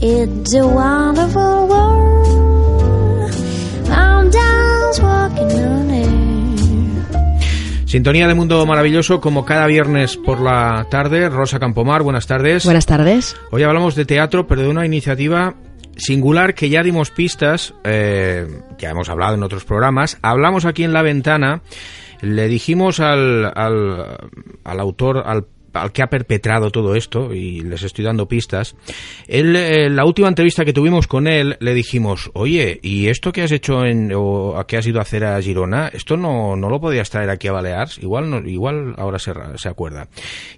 It's a wonderful world. I'm just walking on air. Sintonía de Mundo Maravilloso, como cada viernes por la tarde. Rosa Campomar, buenas tardes. Buenas tardes. Hoy hablamos de teatro, pero de una iniciativa singular que ya dimos pistas, ya hemos hablado en otros programas. Hablamos aquí en La Ventana, le dijimos al autor, al que ha perpetrado todo esto, y les estoy dando pistas. La última entrevista que tuvimos con él, le dijimos, oye, ¿y esto que has hecho o que has ido a hacer a Girona, esto no lo podías traer aquí a Balears? Igual ahora se acuerda.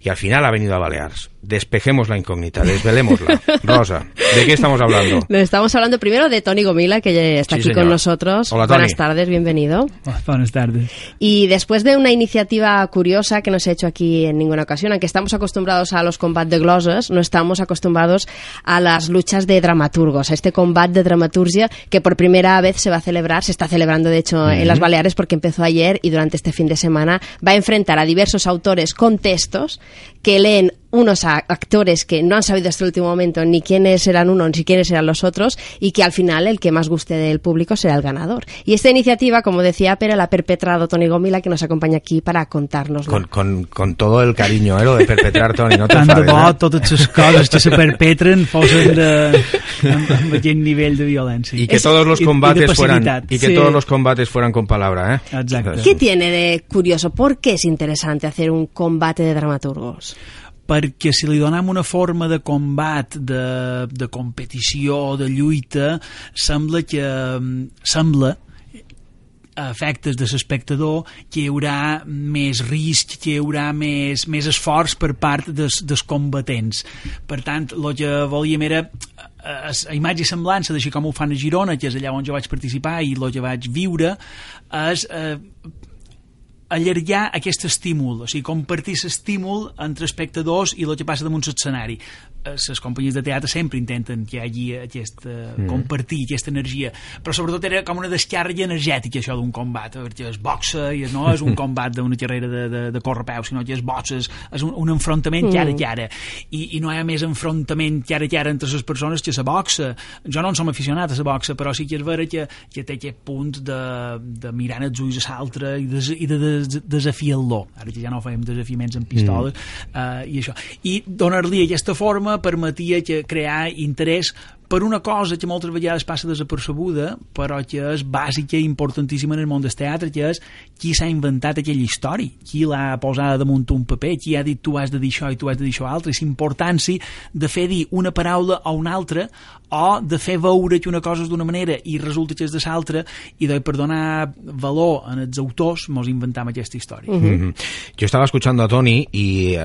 Y al final ha venido a Balears. Despejemos la incógnita, desvelémosla. Rosa, ¿de qué estamos hablando? Estamos hablando primero de Toni Gomila, que ya está aquí con nosotros. Hola, Toni. Buenas tardes, bienvenido. Buenas tardes. Y después de una iniciativa curiosa que no se ha hecho aquí en ninguna ocasión, aunque estamos acostumbrados a los combates de gloses, no estamos acostumbrados a las luchas de dramaturgos, a este combate de dramaturgia que por primera vez se está celebrando de hecho en las Baleares, porque empezó ayer y durante este fin de semana va a enfrentar a diversos autores con textos que leen unos actores que no han sabido hasta el último momento ni quiénes eran unos ni quiénes eran los otros, y que al final el que más guste del público será el ganador. Y esta iniciativa, como decía Pere, la ha perpetrado Toni Gomila, que nos acompaña aquí para contárnoslo. Con todo el cariño, lo de perpetrar, Toni, no te Tant de enfades, bo totes les coses que se perpetren fossin amb aquest nivell de violència. Y que todos los combates fueran con palabra, ¿eh? Exacte. ¿Qué tiene de curioso? ¿Por qué es interesante hacer un combate de dramaturgos? Perquè si li donem una forma de combat, de competició, de lluita, sembla a efectes de l'espectador que hi haurà més risc, que hi haurà més esforç per part dels combatents. Per tant, el que volíem era a imatge i semblança d'això com ho fan a Girona, que és allà on jo vaig participar i el que vaig viure, és allargar aquest estímul, o sigui, compartir l'estímul entre espectadors i el que passa damunt l'escenari. Les companyies de teatre sempre intenten que hi hagi compartir aquesta energia, però sobretot era com una descàrrega energètica, això d'un combat, perquè és boxa i no és un combat d'una carrera de correpeus, sinó que és boxes, és un enfrontament cara a cara, i no hi ha més enfrontament cara a cara entre les persones que la boxa. Jo no en som aficionat a la boxa, però sí que és vera que té aquest punt de mirar els ulls a l'altre i de desafiar-lo. Ara que ja no fem desafiaments amb pistoles i això. I donar-li aquesta forma permetia crear interès per una cosa que moltes vegades passa desapercebuda, però que és bàsica i importantíssima en el món del teatre, que és qui s'ha inventat aquella història, qui l'ha posada damunt un paper, qui ha dit tu has de dir això i tu has de dir això altre, i l'importància de fer dir una paraula o una altra, o de fer veure que una cosa és d'una manera i resulta que és de l'altra, i per donar valor als autors mos inventam aquesta història. Yo estaba escuchando a Toni y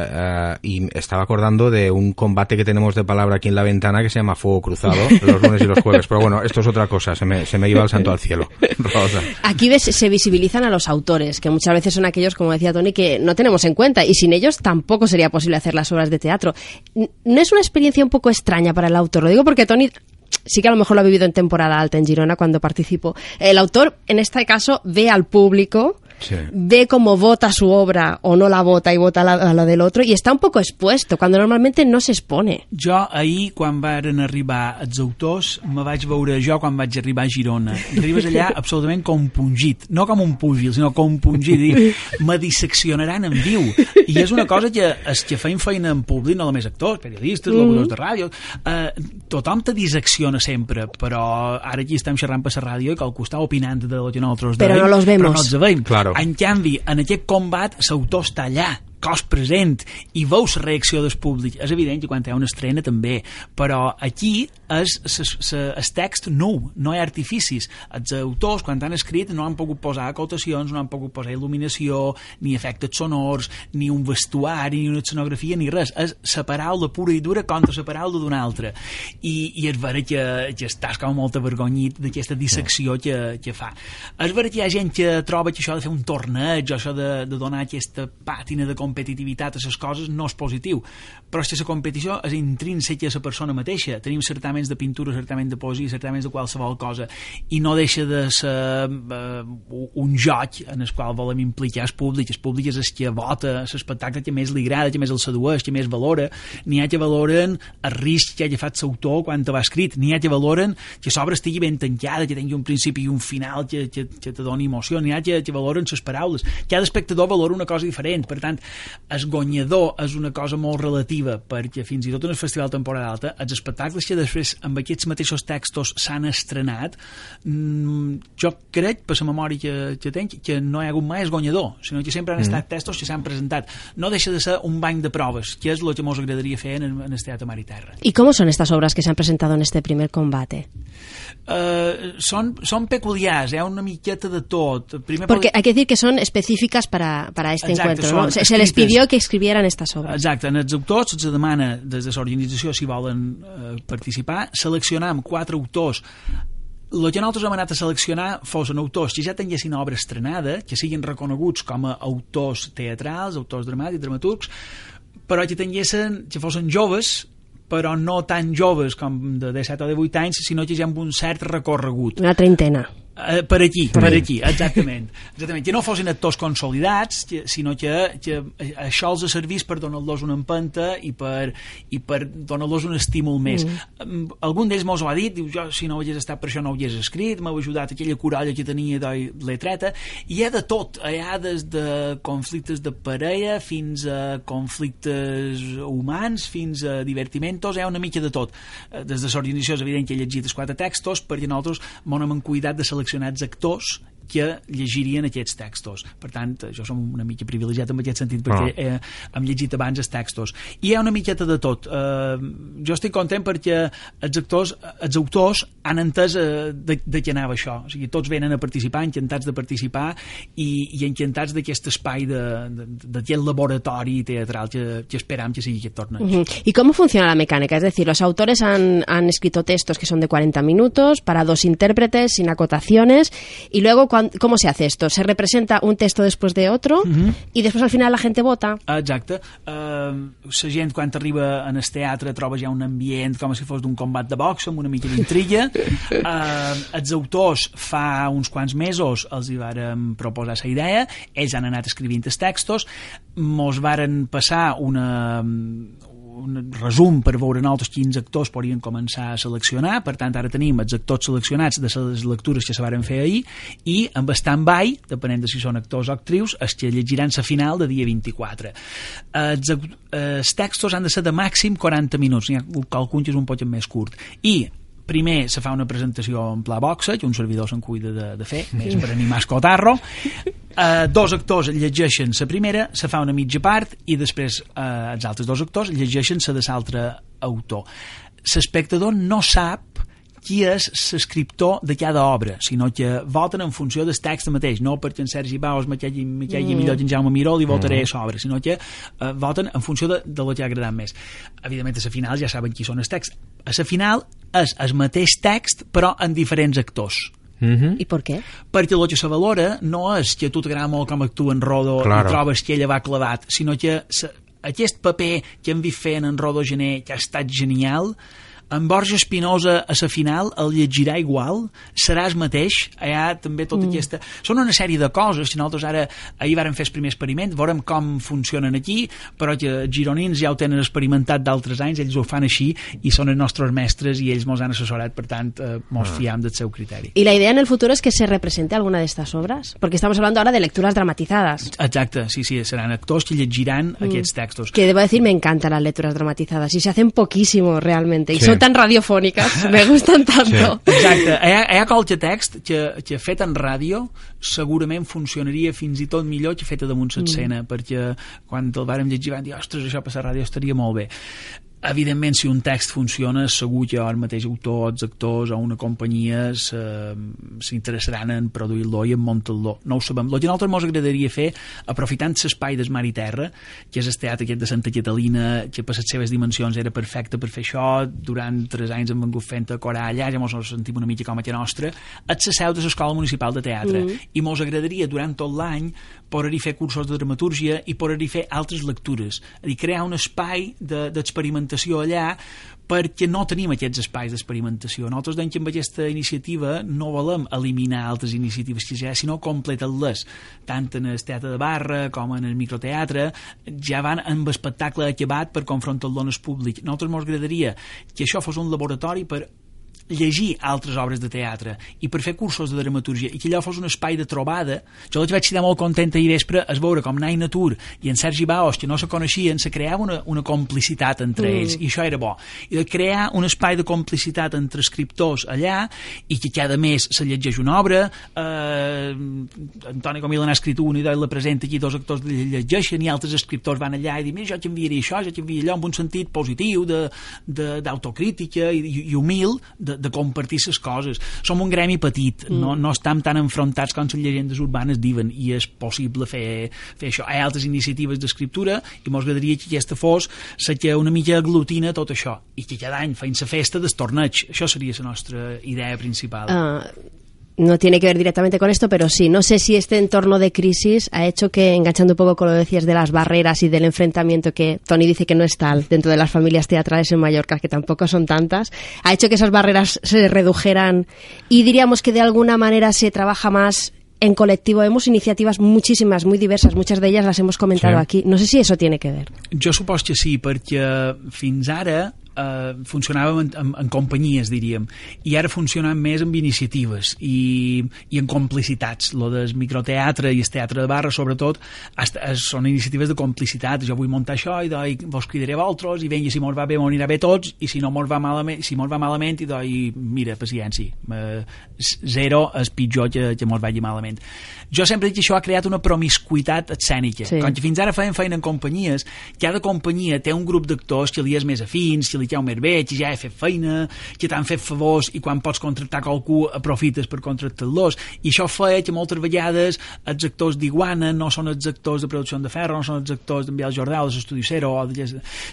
estaba acordando de un combate que tenemos de palabra aquí en La Ventana que se llama Fuego Cruzado, los lunes y los jueves, pero bueno, esto es otra cosa, se me iba el santo al cielo. Rosa. Aquí se visibilizan a los autores, que muchas veces son aquellos, como decía Toni, que no tenemos en cuenta, y sin ellos tampoco sería posible hacer las obras de teatro. ¿No es una experiencia un poco extraña para el autor? Lo digo porque Toni sí que a lo mejor lo ha vivido en temporada alta en Girona cuando participó. El autor, en este caso, ve al público, sí, ve cómo vota su obra o no la vota y vota a la del otro, y está un poco expuesto, cuando normalmente no se expone. Jo ahir, quan varen arribar els autors, me vaig veure jo quan vaig arribar a Girona. Arribes allà absolutament compungit, no com un púgil, sinó compungit, i me disseccionaran en viu. I és una cosa que els que feim feina en públic, no només actors, periodistes, locutors de ràdio, tothom te dissecciona sempre, però ara aquí estem xerrant per la ràdio i que al costat opinant de lo que nosaltres però no los vemos. Però no els veiem. Claro. En canvi, en aquest combat, l'autor està allà, cos present, i veus la reacció del públic. És evident que quan hi ha una estrena també, però aquí és el text nou, no hi ha artificis. Els autors, quan han escrit, no han pogut posar acotacions, no han pogut posar il·luminació, ni efectes sonors, ni un vestuari, ni una escenografia, ni res. És la paraula pura i dura contra la paraula d'una altra. I és vera que estàs com molt avergonyit d'aquesta dissecció que fa. És vera que hi ha gent que troba que això de fer un torneig, o això de donar aquesta pàtina de competició competitivitat a les coses no és positiu, però és que la competició és intrínseca a la persona mateixa. Tenim certaments de pintura, certaments de poesia, certaments de qualsevol cosa, i no deixa de ser un joc en el qual volem implicar el públic és el que vota l'espectacle que més li agrada, que més el sedueix, que més valora. N'hi ha que valoren el risc que hagi fet l'autor quan te va escrit, n'hi ha que valoren que l'obra estigui ben tancada, que tingui un principi i un final que te doni emoció, n'hi ha que valoren les paraules. Cada espectador valora una cosa diferent, per tant, el guanyador és una cosa molt relativa, perquè fins i tot en el Festival Temporada Alta, els espectacles que després amb aquests mateixos textos s'han estrenat, jo crec, per la memòria que tenc, que no hi ha hagut mai el guanyador, sinó que sempre han estat textos que s'han presentat. No deixa de ser un banc de proves, que és el que ens agradaria fer en el Teatre Mar i Terra. ¿Y cómo son estas obras que se han presentado en este primer combate? Son peculiars, hi ha una miqueta de tot. Porque hay que decir que son específicas para este Exacte, encuentro, ¿no? Se les pidió que escribieran estas obras. Exacte, en els autors se demana des de l'organització si volen participar, seleccionam 4 autors. El que nosaltres hem anat a seleccionar fossin autors que ja tinguessin obra estrenada, que siguin reconeguts com a autors teatrals, autors dramàtics, dramaturgs, però que fossin joves, però no tan joves com de 17 o de 8 anys, sinó que ja amb un cert recorregut. Una treintena. Per aquí, exactament. Que no fossin actors consolidats, sinó que això els servís per donar-los una empenta i per donar-los un estímul més. Algun d'ells mos ho ha dit, diu, jo si no hagués estat per això no ho hagués escrit, m'ha ajudat aquella coralla que tenia de letreta, i hi ha de tot, hi ha des de conflictes de parella fins a conflictes humans, fins a divertimentos, hi ha una mica de tot. Des de l'organització és evident que he llegit els 4 textos, perquè nosaltres mos hem cuidat de seleccionats actors que llegirien aquests textos. Per tant, jo som una mica privilegiat en aquest sentit, perquè hem llegit abans els textos. I hi ha una miqueta de tot. Jo estic content perquè els autors han entès de què anava això. O sigui, tots venen a participar, encantats de participar i encantats d'aquest espai d'aquest laboratori teatral que esperam que sigui aquest torneig. ¿Y cómo funciona la mecánica? Es decir, los autores han escrito textos que son de 40 minutos para 2 intérpretes, sin acotaciones, y luego ¿cómo se hace esto? ¿Se representa un texto después de otro y después al final la gente vota? Exacte. La gent quan arriba en el teatre troba ja un ambient com si fos d'un combat de boxa amb una mica d'intriga. Els autors fa uns quants mesos els hi vàrem proposar la idea, ells han anat escrivint els textos, mos varen passar un resum per veure nosaltres quins actors podrien començar a seleccionar. Per tant, ara tenim els actors seleccionats de les lectures que se varen fer ahir i amb stand-by, depenent de si són actors o actrius, els que llegiran la final de dia 24. Els textos han de ser de màxim 40 minuts, n'hi ha qualcun que és un poc més curt. I primer se fa una presentació en pla boxa, que un servidor se'n cuida de fer, més per animar el cotarro. 2 actors llegeixen la primera, se fa una mitja part i després els altres 2 actors llegeixen la de l'altre autor. L'espectador no sap qui és l'escriptor de cada obra, sinó que voten en funció del text mateix, no perquè en Sergi Baus me caigui millor que en Jaume Miró li votaré a l'obra, sinó que voten en funció de lo que ha agradat més. Evidentment, a la final ja saben qui són els texts. A la final és el mateix text, però en diferents actors. ¿Y por qué? Perquè el que se valora no és que a tu t'agrada molt com actua en Rodó i trobes que ella va clavat, sinó que aquest paper que hem vist fent en Rodó Gené, que ha estat genial, en Borja Espinosa a la final el llegirà igual, serà el mateix, hi ha també tota aquesta... Són una sèrie de coses que nosaltres ahir vàrem fer el primer experiment, veurem com funcionen aquí, però que els gironins ja ho tenen experimentat d'altres anys, ells ho fan així i són els nostres mestres i ells mos han assessorat, per tant mos fiam del seu criteri. ¿Y la idea en el futuro es que se represente alguna de estas obras? Porque estamos hablando ahora de lecturas dramatizadas. Exacte, sí, seran actors que llegiran aquests textos. Que debo decir, me encantan las lecturas dramatizadas y se hacen poquísimo realmente, y son tan radiofónicas, me gustan tanto. Sí. Exacte, hi ha qualque text que fet en ràdio segurament funcionaria fins i tot millor que feta damunt l'escena, perquè quan el vàrem llegir vam dir, ostres, això per la ràdio estaria molt bé. Evidentment, si un text funciona, segur que el mateix autor, els actors o una companyia s'interessaran en produir-lo i en muntar-lo. No ho sabem. El que a nosaltres ens agradaria fer, aprofitant l'espai del mar i terra, que és el teatre aquest de Santa Catalina, que per les seves dimensions era perfecte per fer això, durant 3 anys hem vengut fent a corar allà, ja ens sentim una mica com a nostra, és la seu de l'Escola Municipal de Teatre. I ens agradaria, durant tot l'any, poder-hi fer cursos de dramatúrgia i poder-hi fer altres lectures. És a dir, crear un espai d'experimentació allà, perquè no tenim aquests espais d'experimentació. Nosaltres dèiem que amb aquesta iniciativa no volem eliminar altres iniciatives que ja, sinó completar-les, tant en el teatre de barra com en el microteatre, ja van amb espectacle acabat per confrontar-lo amb el públic. Nosaltres ens agradaria que això fos un laboratori per llegir altres obres de teatre i per fer cursos de dramaturgia i que allò fos un espai de trobada. Jo vaig quedar molt contenta ahir vespre es veure com Nai Natur i en Sergi Baos, que no se coneixien, se creava una complicitat entre ells i això era bo. I de crear un espai de complicitat entre escriptors allà i que cada mes se llegeix una obra, Antoni Comil n'ha escrit una i la presenta aquí, 2 actors llegeixen i altres escriptors van allà i diuen jo t'enviaré això, jo t'enviaré allò, amb un sentit positiu d'autocrítica i humil de compartir les coses. Som un gremi petit, no estem tan enfrontats com les llegendes urbanes diuen, i és possible fer això. Hi ha altres iniciatives d'escriptura i ens agradaria que aquesta fos la que una mica aglutina tot això i que cada any feien la festa del torneig. Això seria la nostra idea principal. No tiene que ver directamente con esto, pero sí, no sé si este entorno de crisis ha hecho que, enganchando un poco con lo que decías de las barreras y del enfrentamiento que Toni dice que no es tal dentro de las familias teatrales en Mallorca, que tampoco son tantas, ha hecho que esas barreras se redujeran y diríamos que de alguna manera se trabaja más en colectivo. Vemos iniciativas muchísimas, muy diversas, muchas de ellas las hemos comentado aquí. No sé si eso tiene que ver. Jo supos que sí, perquè fins ara funcionàvem en companyies, diríem, i ara funcionem més amb iniciatives i en complicitats. Lo del microteatre i el teatre de barra, sobretot, són iniciatives de complicitat. Jo vull muntar això i vos cridaré a vosaltres i venga, si mos va bé, mos anirà bé tots, i si no mos va malament, i mira, paciència. 0 és pitjor que mos vagi malament. Jo sempre dic que això ha creat una promiscuitat escènica. Sí. Com que fins ara feien feina en companyies, cada companyia té un grup d'actors que li és més afins, que li cau més bé, que ja he fet feina, que t'han fet favors i quan pots contractar qualcú aprofites per contractar-los. I això feia que moltes vegades els actors d'Iguana no són els actors de Producció de Ferro, no són els actors d'en Biel Jordà o de l'Estudi Cero,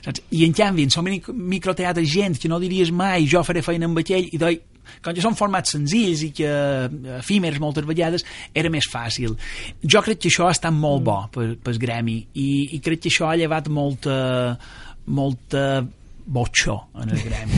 saps? I en canvi, són microteatres gent que no diries mai jo faré feina amb aquell, i com que són formats senzills i que efímers moltes vegades era més fàcil. Jo crec que això ha estat molt bo pel gremi i crec que això ha llevat molta botxó en el gremi.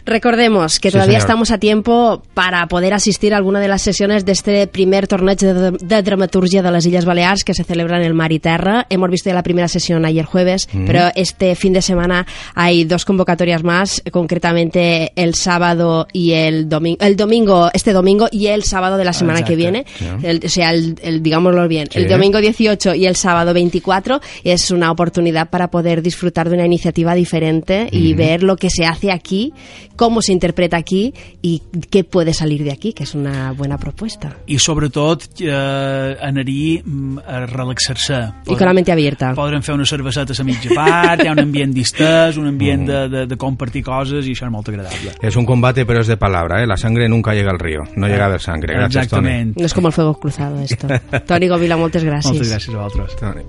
Recordemos que todavía estamos a tiempo para poder asistir a alguna de las sesiones de este primer torneig de dramaturgia de las Illes Balears que se celebra en el Mar y Terra. Hemos visto ya la primera sesión ayer jueves, pero este fin de semana hay 2 convocatorias más, concretamente el sábado y el domingo, este domingo y el sábado de la semana que viene. Digámoslo bien, el domingo 18 y el sábado 24 es una oportunidad para poder disfrutar de una iniciativa diferente y ver lo que se hace aquí, cómo se interpreta aquí y qué puede salir de aquí, que és una bona proposta. I sobretot anar-hi a relaxar-se. I con la mente abierta. Podrem fer una cerveseta a mitja part, hi ha un ambient distès, un ambient de compartir coses i això és molt agradable. És un combate però és de palabra, la sangre nunca llega al río, no llega de sangre. Gràcies, Toni. No és com el fuego cruzado esto. Toni Govila, moltes gràcies. Moltes gràcies a vosaltres. Toni.